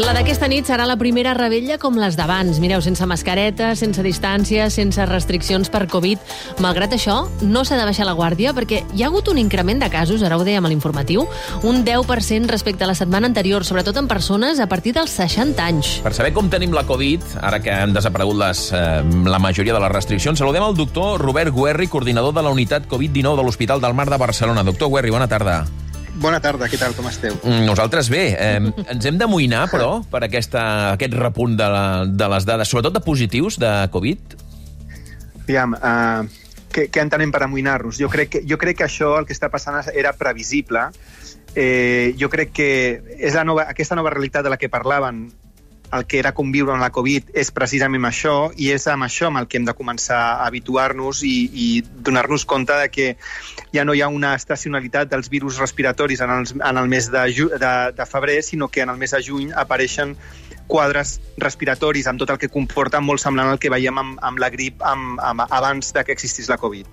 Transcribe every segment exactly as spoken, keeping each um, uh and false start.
La d'aquesta nit serà la primera revetlla com les d'abans. Mireu, sense mascareta, sense distància, sense restriccions per Covid. Malgrat això, no s'ha de baixar la guàrdia perquè hi ha hagut un increment de casos, ara ho dèiem a l'informatiu, un deu per cent respecte a la setmana anterior, sobretot en persones a partir dels seixanta anys. Per saber com tenim la Covid, ara que han desaparegut les, eh, la majoria de les restriccions, saludem el doctor Robert Guerri, coordinador de la unitat Covid dinou de l'Hospital del Mar de Barcelona. Doctor Guerri, bona tarda. Bona tarda, què tal, com esteu? Nosaltres bé. Eh, ens hem d'amoïnar, però, per aquesta, aquest repunt de, la, de les dades, sobretot de positius de Covid? Aviam, uh, què, què entenem per amoïnar-nos? Jo crec, que, jo crec que això, el que està passant, era previsible. Eh, jo crec que és la nova, aquesta nova realitat de la que parlaven, el que era conviure amb la Covid, és precisament això, i és amb això amb el que hem de començar a habituar-nos i, i donar-nos compte de que ja no hi ha una estacionalitat dels virus respiratoris en, els, en el mes de, ju, de, de febrer, sinó que en el mes de juny apareixen quadres respiratoris amb tot el que comporta molt semblant al que veiem amb, amb la grip amb, amb, abans de que existís la Covid.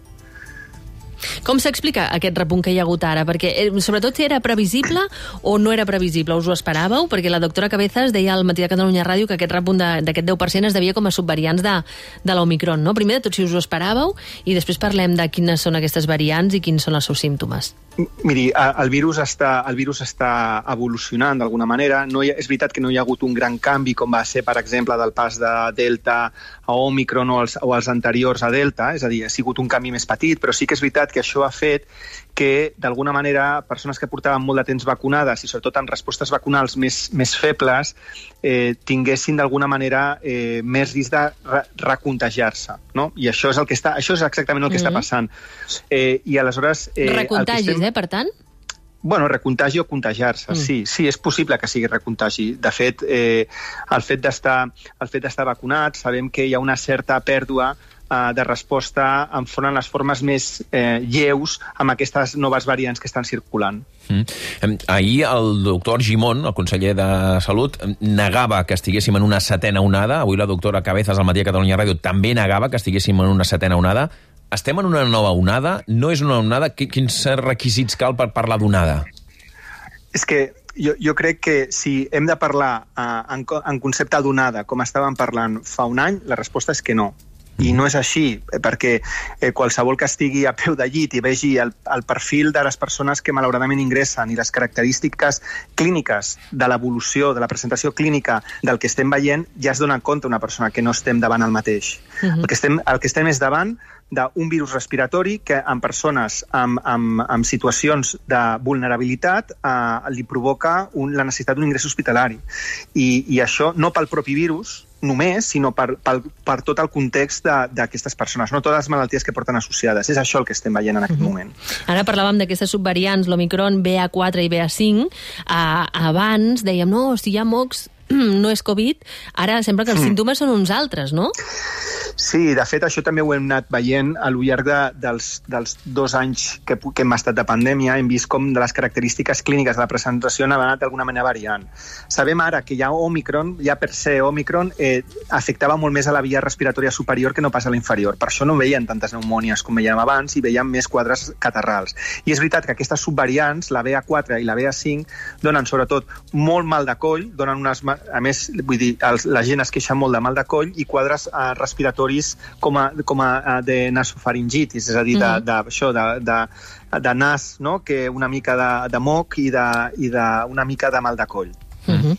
Com s'explica aquest repunt que hi ha hagut ara? Perquè, sobretot, era previsible o no era previsible? Us ho esperàveu? Perquè la doctora Cabezas deia al Matí de Catalunya Ràdio que aquest repunt d'aquest deu per cent es devia com a subvariants de, de l'Omicron, no? Primer de tot, si us ho esperàveu, i després parlem de quines són aquestes variants i quins són els seus símptomes. Miri, el virus està, el virus està evolucionant d'alguna manera. No hi ha, és veritat que no hi ha hagut un gran canvi com va ser, per exemple, del pas de Delta a Omicron o els, o els anteriors a Delta, és a dir, ha sigut un canvi més petit, però sí que és veritat que això ha fet que, d'alguna manera, persones que portaven molt de temps vacunades i sobretot amb respostes vacunals més, més febles eh, tinguessin d'alguna manera eh, més risc de re recontagiar-se, no? I això és, el que està, això és exactament el que mm-hmm. està passant. Eh, I aleshores... Eh, Recontagis, estem... eh, per tant? Bueno, recontagi o contagiar-se, mm. sí, sí, és possible que sigui recontagi. De fet, eh, el fet d'estar el fet d'estar vacunat, sabem que hi ha una certa pèrdua eh, de resposta enfront a les formes més eh, lleus amb aquestes noves variants que estan circulant. Mm. Ahir el doctor Argimon, el conseller de Salut, negava que estiguéssim en una setena onada. Avui la doctora Cabezas al Matí de Catalunya Ràdio també negava que estiguéssim en una setena onada. Estem en una nova onada? No és una onada? Quins requisits cal per parlar d'onada? És que jo, jo crec que si hem de parlar uh, en, en concepte d'onada, com estàvem parlant fa un any, la resposta és que no. I no és així, perquè eh, qualsevol que estigui a peu de llit i vegi el, el perfil de les persones que malauradament ingressen i les característiques clíniques de l'evolució, de la presentació clínica del que estem veient, ja es dona compte una persona que no estem davant el mateix. Uh-huh. el, que estem, el que estem és davant d'un virus respiratori que en persones amb, amb, amb situacions de vulnerabilitat eh, li provoca un, la necessitat d'un ingrés hospitalari. I, i això no pel propi virus, només, sinó per, per, per tot el context d'aquestes persones, no totes les malalties que porten associades. És això el que estem veient en aquest uh-huh. moment. Ara parlàvem d'aquestes subvariants, l'Omicron, B A quatre i B A cinc. Uh, abans dèiem, no, si hi ha mocs, no és Covid. Ara sembla que els mm. símptomes són uns altres, no? Sí, de fet, això també ho hem anat veient al llarg de, dels, dels dos anys que, que hem estat de pandèmia. Hem vist com de les característiques clíniques de la presentació han anat d'alguna manera variant. Sabem ara que ja Omicron, ja per ser Omicron, eh, afectava molt més a la via respiratòria superior que no pas a la inferior. Per això no veien tantes pneumònies com veiem abans i veiem més quadres catarrals. I és veritat que aquestes subvariants, la B A quatre i la B A cinc, donen sobretot molt mal de coll, donen unes, a més, vull dir, els, la gent es queixa molt de mal de coll i quadres eh, respiratoris com a, com a de nasofaringitis, és a dir, de, de, això, de, de, de nas, no? Que una mica de, de moc i, de, i de, una mica de mal de coll. Uh-huh.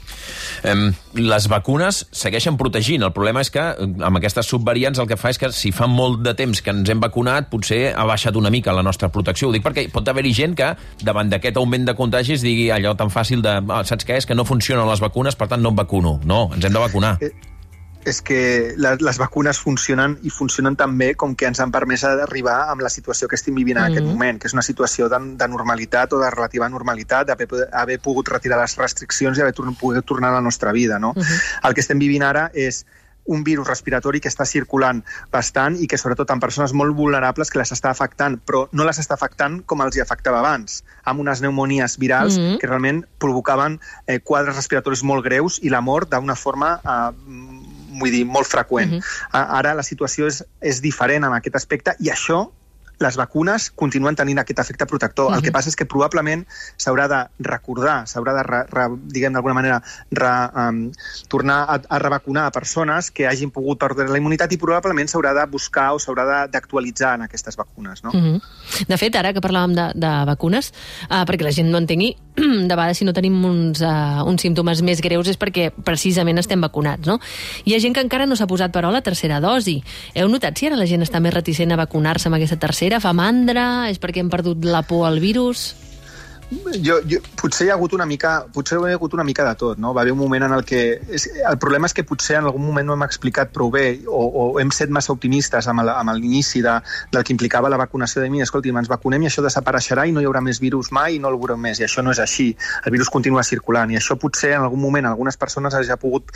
um, les vacunes segueixen protegint. El problema és que amb aquestes subvariants el que fa és que si fa molt de temps que ens hem vacunat potser ha baixat una mica la nostra protecció. Ho dic perquè pot haver-hi gent que davant d'aquest augment de contagis digui allò tan fàcil de ah, saps què és? Que no funcionen les vacunes, per tant no em vacuno. No, ens hem de vacunar. Eh... és que les, les vacunes funcionen i funcionen tan bé com que ens han permès arribar amb la situació que estem vivint en mm-hmm. aquest moment, que és una situació de, de normalitat o de relativa normalitat, d'haver haver pogut retirar les restriccions i haver tor pogut tornar a la nostra vida. No? Mm-hmm. El que estem vivint ara és un virus respiratori que està circulant bastant i que sobretot en persones molt vulnerables que les està afectant, però no les està afectant com els hi afectava abans, amb unes pneumonies virals mm-hmm. que realment provocaven eh, quadres respiratoris molt greus i la mort d'una forma eh, vull dir, molt freqüent. Uh-huh. Ara la situació és, és diferent en aquest aspecte i això les vacunes continuen tenint aquest efecte protector. Uh-huh. El que passa és que probablement s'haurà de recordar, s'haurà de, re, re, diguem d'alguna manera, re, um, tornar a, a revacunar a persones que hagin pogut perdre la immunitat i probablement s'haurà de buscar o s'haurà d'actualitzar en aquestes vacunes. No? Uh-huh. De fet, ara que parlàvem de, de vacunes, uh, perquè la gent no entengui, de vegades si no tenim uns, uh, uns símptomes més greus és perquè precisament estem vacunats, no? Hi ha gent que encara no s'ha posat però la tercera dosi. Heu notat si ara la gent està més reticent a vacunar-se amb aquesta tercera? Fa mandra? És perquè hem perdut la por al virus? Jo, jo, potser hi ha hagut una mica potser hi ha hagut una mica de tot, no? Va haver un moment en el que... És, el problema és que potser en algun moment no hem explicat prou bé o, o hem set massa optimistes amb, el, amb l'inici de, del que implicava la vacunació de mi. Escolti, ens vacunem i això desapareixerà i no hi haurà més virus mai i no el veurem més. I això no és així. El virus continua circulant i això potser en algun moment algunes persones hagi pogut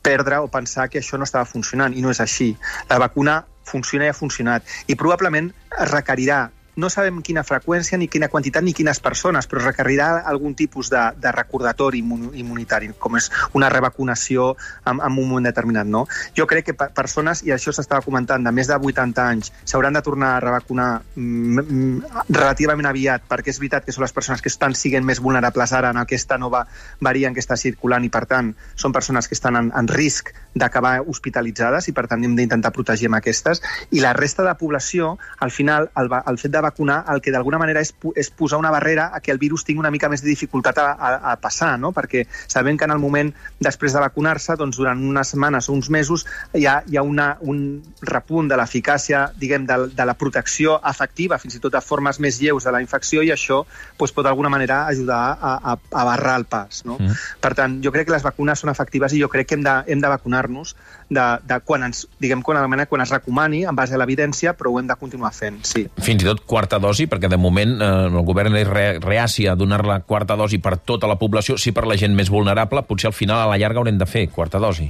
perdre o pensar que això no estava funcionant i no és així. La vacuna funciona i ha funcionat i probablement es requerirà, no sabem quina freqüència, ni quina quantitat, ni quines persones, però requerirà algun tipus de, de recordatori immunitari, com és una revacunació en, en un moment determinat. No? Jo crec que persones, i això s'estava comentant, de més de vuitanta anys, s'hauran de tornar a revacunar mm, relativament aviat, perquè és veritat que són les persones que estan siguent més vulnerables ara en aquesta nova variant que està circulant i, per tant, són persones que estan en, en risc d'acabar hospitalitzades i, per tant, hem d'intentar protegir amb aquestes. I la resta de la població, al final, el, el fet de vacunar, el que d'alguna manera és, és posar una barrera a que el virus tingui una mica més de dificultat a, a, a passar, no? Perquè sabem que en el moment després de vacunar-se, doncs durant unes setmanes o uns mesos hi ha, hi ha una, un repunt de l'eficàcia, diguem, de, de la protecció efectiva, fins i tot de formes més lleus de la infecció, i això doncs, pot d'alguna manera ajudar a, a, a barrar el pas. No? Mm. Per tant, jo crec que les vacunes són efectives i jo crec que hem de, hem de vacunar-nos de, de quan ens, diguem, quan, quan es recomani, en base a l'evidència, però ho hem de continuar fent, sí. Fins i tot quarta dosi, perquè de moment eh, el govern és re, reaci a donar la quarta dosi per tota la població, sí per la gent més vulnerable, potser al final a la llarga haurem de fer quarta dosi.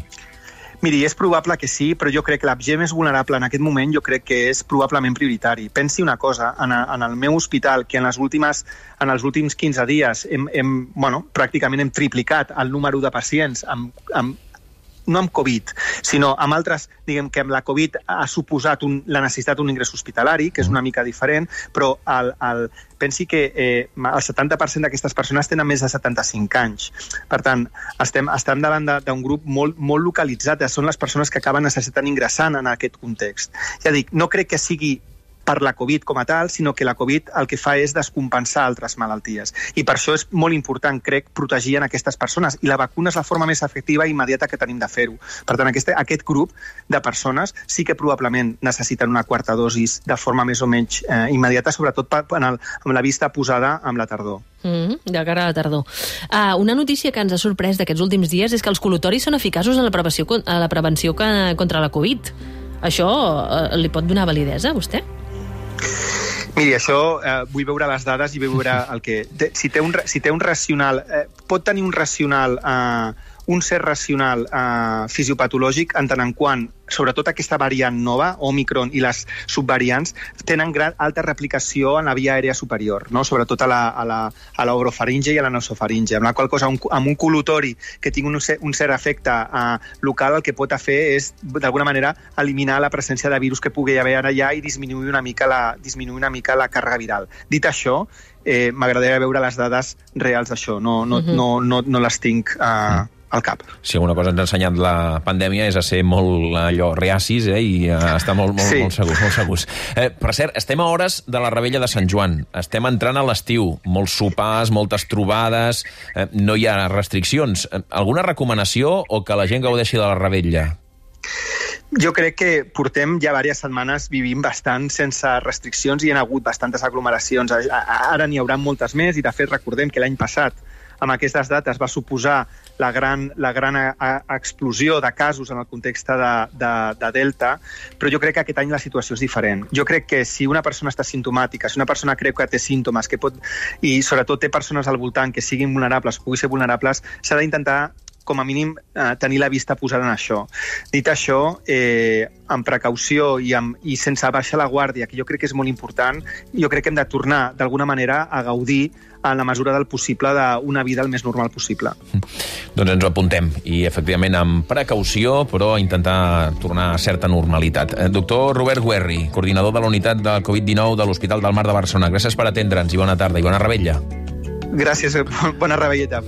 Miri, és probable que sí, però jo crec que la gent més vulnerable en aquest moment jo crec que és probablement prioritari. Pensi una cosa, en, a, en el meu hospital, que en, les últimes, en els últims quinze dies hem, hem, bueno, pràcticament hem triplicat el número de pacients amb, amb no amb Covid, sinó amb altres, diguem que amb la Covid ha suposat un, la necessitat d'un ingrés hospitalari, que és una mica diferent, però el, el, pensi que eh, el setanta per cent d'aquestes persones tenen més de setanta-cinc anys. Per tant, estem, estem davant d'un grup molt, molt localitzat, són les persones que acaben necessitant ingressant en aquest context. Ja dic, no crec que sigui per la Covid com a tal, sinó que la Covid el que fa és descompensar altres malalties. I per això és molt important, crec, protegir en aquestes persones. I la vacuna és la forma més efectiva i immediata que tenim de fer-ho. Per tant, aquest, aquest grup de persones sí que probablement necessiten una quarta dosis de forma més o menys eh, immediata, sobretot en el, amb la vista posada amb la tardor. Mm, de cara a la tardor. Uh, una notícia que ens ha sorprès d'aquests últims dies és que els col·lutoris són eficaços en la prevenció, a la prevenció que, contra la Covid. Això uh, li pot donar validesa a vostè? Miri, això eh, vull veure les dades i veure el que... Si té un, si té un racional... Eh, pot tenir un racional... Eh, un cert racional eh, fisiopatològic en tant en quant, sobretot aquesta variant nova, Omicron i les subvariants, tenen gran, alta replicació en la via aèria superior, no? Sobretot a la, a la, a l'orofaringe i a la nasofaringe, amb la qual cosa, un, amb un col·lutori que tingui un, un cert efecte eh, local, el que pot fer és, d'alguna manera, eliminar la presència de virus que pugui haver allà i disminuir una mica la, disminuir una mica la càrrega viral. Dit això, eh, m'agradaria veure les dades reals d'això, no, no, uh-huh. no, no, no les tinc... Eh, al cap. Si alguna cosa ens ha ensenyat la pandèmia és a ser molt allò reacis eh, i a estar molt, molt, sí. molt segurs. Molt segurs. Eh, per cert, estem a hores de la Revetlla de Sant Joan. Estem entrant a l'estiu. Molts sopars, moltes trobades, eh, no hi ha restriccions. Eh, alguna recomanació o que la gent gaudeixi de la Revetlla? Jo crec que portem ja diverses setmanes vivint bastant sense restriccions i hi ha hagut bastantes aglomeracions. Ara n'hi haurà moltes més i, de fet, recordem que l'any passat amb aquestes dates va suposar la gran, la gran a, a, explosió de casos en el context de, de, de Delta, però jo crec que aquest any la situació és diferent. Jo crec que si una persona està simptomàtica, si una persona creu que té símptomes, que pot, i sobretot té persones al voltant que siguin vulnerables, pugui ser vulnerables, s'ha d'intentar com a mínim, eh, tenir la vista posada en això. Dit això, eh, amb precaució i, amb, i sense baixar la guàrdia, que jo crec que és molt important, jo crec que hem de tornar, d'alguna manera, a gaudir en la mesura del possible d'una vida el més normal possible. Doncs ens ho apuntem, i efectivament amb precaució, però intentar tornar a certa normalitat. Eh, doctor Robert Guerri, coordinador de la unitat del covid dinou de l'Hospital del Mar de Barcelona, gràcies per atendre'ns i bona tarda i bona revetlla. Gràcies, bona revelleta.